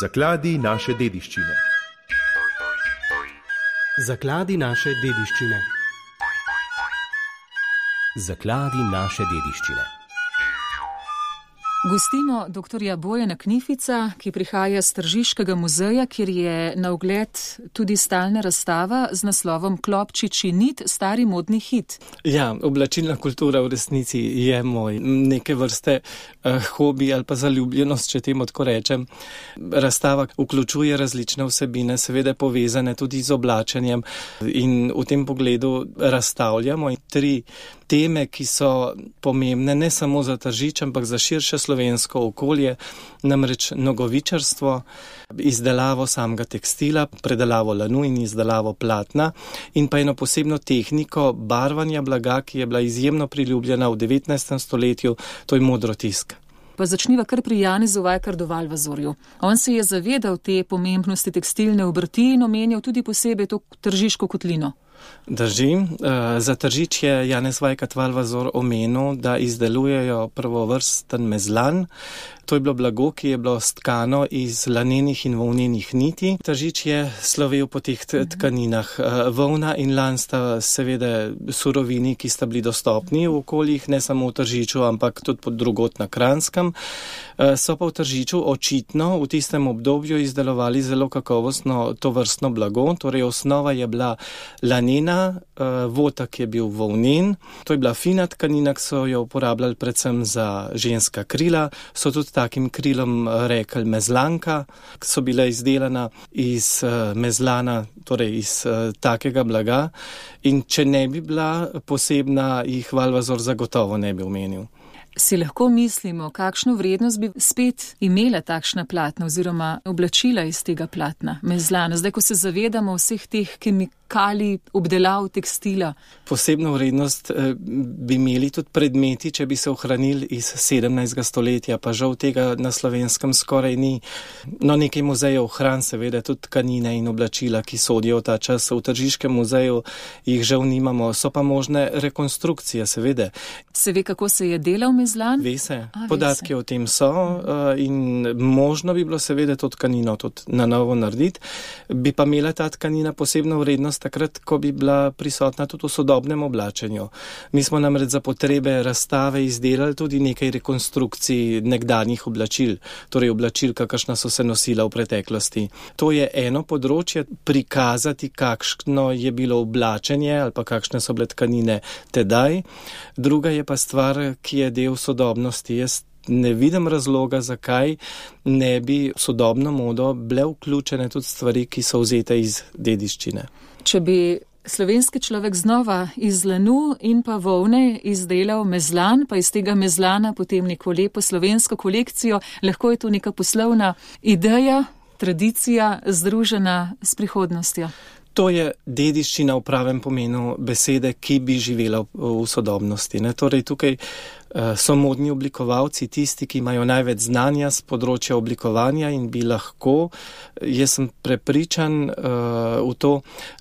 Zakladi naše dediščine. Zakladi naše dediščine. Zakladi naše dediščine. Gostimo dr. Bojana Knifica, ki prihaja z Tržiškega muzeja, kjer je na ogled tudi stalna razstava z naslovom Klopčičji nit, stari modni hit. Ja, oblačilna kultura v resnici je moj neke vrste hobi ali pa zaljubljenost, če temu tako rečem. Razstava vključuje različne vsebine, seveda povezane tudi z oblačenjem, in v tem pogledu razstavljamo 3 teme, ki so pomembne ne samo za Tržič, ampak za širše slovensko okolje, namreč nogavičarstvo, izdelavo samega tekstila, predelavo lanu in izdelavo platna in pa eno posebno tehniko barvanja blaga, ki je bila izjemno priljubljena v 19. stoletju, to je modrotisk. Pa začniva kar pri Janezu Vajkardu Valvazorju. On se je zavedal te pomembnosti tekstilne obrti in omenjal tudi posebej to Tržiško kotlino. Drži. Za Tržič je Janez Vajkard Valvazor omenil, da izdelujejo prvovrsten mezlan. To je bilo blago, ki je bilo stkano iz lanenih in volnenih niti. Tržič je slovel po teh tkaninah. Volna in lan sta seveda surovini, ki sta bili dostopni v okoljih, ne samo v Tržiču, ampak tudi pod drugot na Kranjskem. So pa v Tržiču očitno v tistem obdobju izdelovali zelo kakovostno tovrstno blago. Torej osnova je bila lanena, votak je bil volnen. To je bila fina tkanina, ki so jo uporabljali predvsem za ženska krila. So tudi takim krilom rekli mezlanka, ki so bile izdelana iz mezlana, torej iz takega blaga. In če ne bi bila posebna, jih Valvazor zagotovo ne bi omenil. Si lahko mislimo, kakšno vrednost bi spet imela takšna platna oziroma oblačila iz tega platna, mezlana, zdaj, ko se zavedamo vseh teh kemikalij, obdelav tekstila? Posebno vrednost bi imeli tudi predmeti, če bi se ohranili iz 17. stoletja, pa žal tega na Slovenskem skoraj ni. No, nekaj muzejev ohran seveda tudi tkanine in oblačila, ki sodijo v ta čas. V Tržiškem muzeju jih žal nimamo, so pa možne rekonstrukcije, seveda. Se ve, kako se je delal mezlan? Ve se. Podatki o tem so in možno bi bilo seveda to tkanino tudi na novo narediti. Bi pa imela ta tkanina posebno vrednost takrat, ko bi bila prisotna tudi v sodobnem oblačenju. Mi smo namreč za potrebe razstave izdelali tudi nekaj rekonstrukcij nekdanjih oblačil, torej oblačil, kakršna so se nosila v preteklosti. To je eno področje, prikazati, kakšno je bilo oblačenje ali pa kakšne so bile tkanine tedaj. Druga je pa stvar, ki je del sodobnosti. Jaz ne vidim razloga, zakaj ne bi v sodobno modo bile vključene tudi stvari, ki so vzete iz dediščine. Če bi slovenski človek znova iz lanu in pa volne izdelal mezlan, pa iz tega mezlana potem neko lepo slovensko kolekcijo, lahko je to neka poslovna ideja, tradicija združena s prihodnostjo. To je dediščina v pravem pomenu besede, ki bi živela v sodobnosti. Torej, tukaj so modni oblikovalci tisti, ki imajo največ znanja z področja oblikovanja in bi lahko, jaz sem prepričan v to,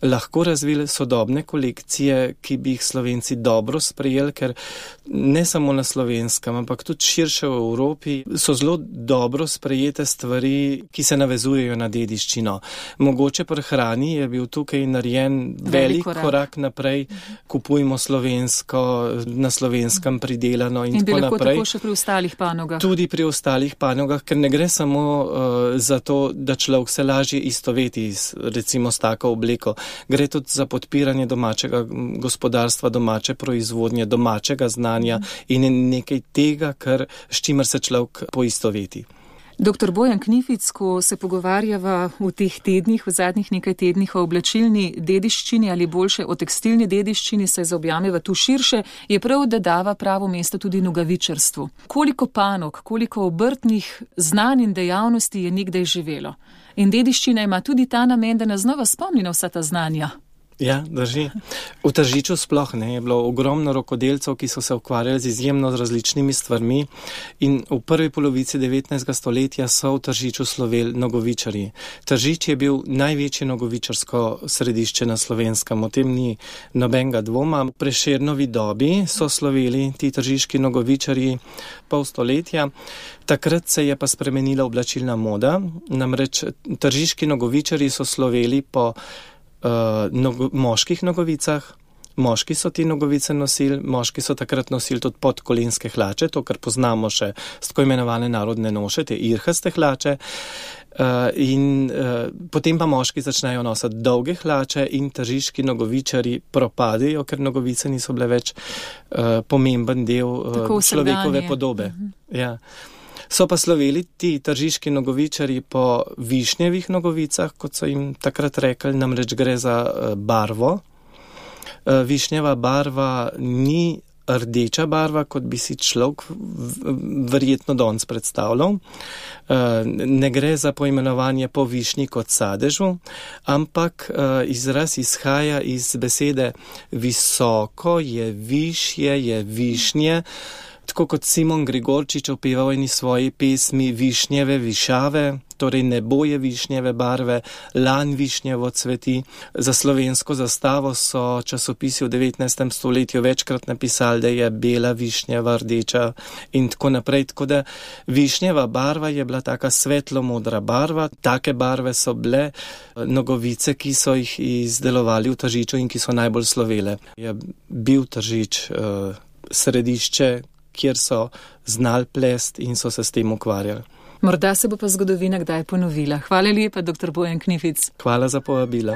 lahko razvili sodobne kolekcije, ki bi jih Slovenci dobro sprejeli, ker ne samo na Slovenskem, ampak tudi širše v Evropi so zelo dobro sprejete stvari, ki se navezujejo na dediščino. Mogoče pri hrani je bil tukaj narejen velik korak naprej, kupujmo slovensko, na Slovenskem pridelano in tako naprej. In bi lahko tako še pri ostalih panogah. Tudi pri ostalih panogah, ker ne gre samo za to, da človek se lažje istoveti recimo s tako obleko. Gre tudi za podpiranje domačega gospodarstva, domače proizvodnje, domačega znanja in nekaj tega, s čimer se človek poistoveti. Dr. Bojan Knific, ko se pogovarjava v teh tednih, v zadnjih nekaj tednih o oblačilni dediščini ali boljše o tekstilni dediščini, se zaobjameva tu širše, je prav, da dava pravo mesto tudi nogavičarstvu. Koliko panog, koliko obrtnih znanj in dejavnosti je nekdaj živelo? In dediščina ima tudi ta namen, da nas znova spomni na vsa ta znanja. Ja, drži. V Tržiču sploh ne, je bilo ogromno rokodelcev, ki so se ukvarjali z izjemno različnimi stvarmi in v prvi polovici 19. stoletja so v Tržiču sloveli nogovičarji. Tržič je bil največje nogovičarsko središče na Slovenskem, o tem ni nobenega dvoma. V Prešernovi dobi so sloveli ti tržiški nogovičarji pol stoletja. Takrat se je pa spremenila oblačilna moda, namreč tržiški nogovičarji so sloveli po moških nogavicah. Moški so ti nogavice nosili, moški so takrat nosili tudi podkolenske hlače, to, kar poznamo še s tako imenovane narodne noše, te irhaste hlače. Potem pa moški začnejo nositi dolge hlače in tržiški nogavičarji propadejo, ker nogavice niso bile več pomemben del človekove podobe. Ja. So pa sloveli ti tržiški nogavičarji po višnjevih nogavicah, kot so jim takrat rekli, namreč gre za barvo. Višnjeva barva ni rdeča barva, kot bi si človek verjetno danes predstavljal. Ne gre za poimenovanje po višnji kot sadežu, ampak izraz izhaja iz besede visoko, je višje, je višnje. Tako kot Simon Gregorčič opeval eni svoji pesmi Višnjeve višave, torej nebo je višnjeve barve, lan višnjevo cveti. Za slovensko zastavo so časopisi v 19. stoletju večkrat napisali, da je bela višnjeva, rdeča in tako naprej. Tako da višnjeva barva je bila taka svetlo-modra barva. Take barve so bile nogavice, ki so jih izdelovali v Tržiču in ki so najbolj slovele. Je bil Tržič središče, kjer so znali plest in so se s tem ukvarjali. Morda se bo pa zgodovina kdaj ponovila. Hvala lepa, dr. Bojan Knific. Hvala za povabilo.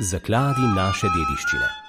Zakladi naše dediščine.